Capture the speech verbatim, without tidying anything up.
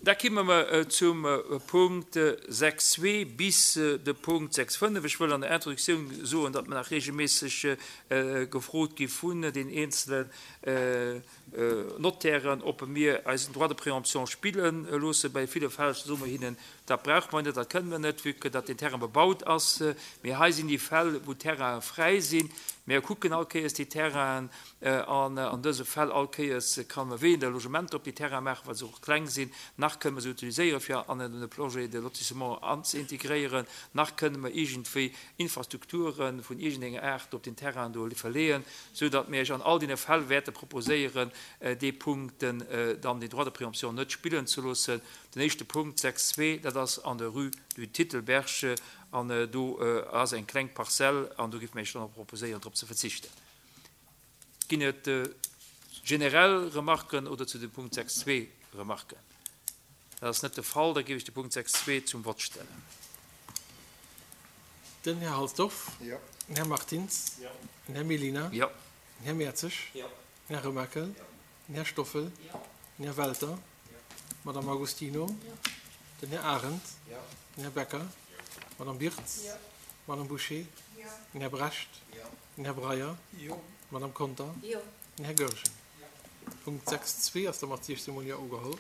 Da kimme mer zum Punkt sechs zwee bis de Punkt sechs fënnef. Ech wëll an der Introduktioun soen, datt mer nach regelméisseg gefrot gi vun den eenzelen Notairen, ob mir eisen Droit de préemption spille loosse. Bei ville Fäll soe mer hinnen, dat brauche mer net, dat kënnen mer net, vue que datt den Terrain bebaut ass. Mee hei sinn déi Fäll, wou d'Terrainen fräi sinn. Mir kucken all Kéiers déi Terrainen an an dëse Fäll all Kéiers kann mer weder Logementer op déi Terraine maachen, well se och kleng sinn, nach kënnen mer se utiliséieren, fir an e Projet de lotissement anzeintegréieren, nach kënnen mer iergendwéi Infrastrukture vun iergendenger Aart op den Terrain do verleeën, soudatt mir Iech an all deene Fäll wäerte proposéieren, dee Punkt dann, den Droit de préemption net spillen ze loossen. Den éischte Punkt sechs zwee, dat ass an der Rue du Titelberg, an do ass eng kleng Parzell, an do géife mir Iech dann och proposéieren, drop ze verzichten. Ginn et generell Remarken oder zu dem Punkt sechs zwee Remarken? Dat ass net de Fall. Da géif ech de Punkt sechs zwee zum Vott stellen. Den Här Halsdorf. Jo. Den Här Martins. Jo. Den Här Mellina. Jo. Den Här Mertzig. Jo. Den Här Remakel. Jo. Den Här Stoffel. Jo. Den Här Welter. Jo. D'Madame Agostino. Jo. Den Här Arendt. Jo. Den Här Becker. D'Madame Birtz. Jo. D'Madame Bouché. Jo. Den Här Brecht. Jo. Den Här Breyer. Jo. D'Madame Conter. Jo. Den Här Goergen. Jo. Punkt sechs zwee ass da mat siechzehn mol Jo ugeholl.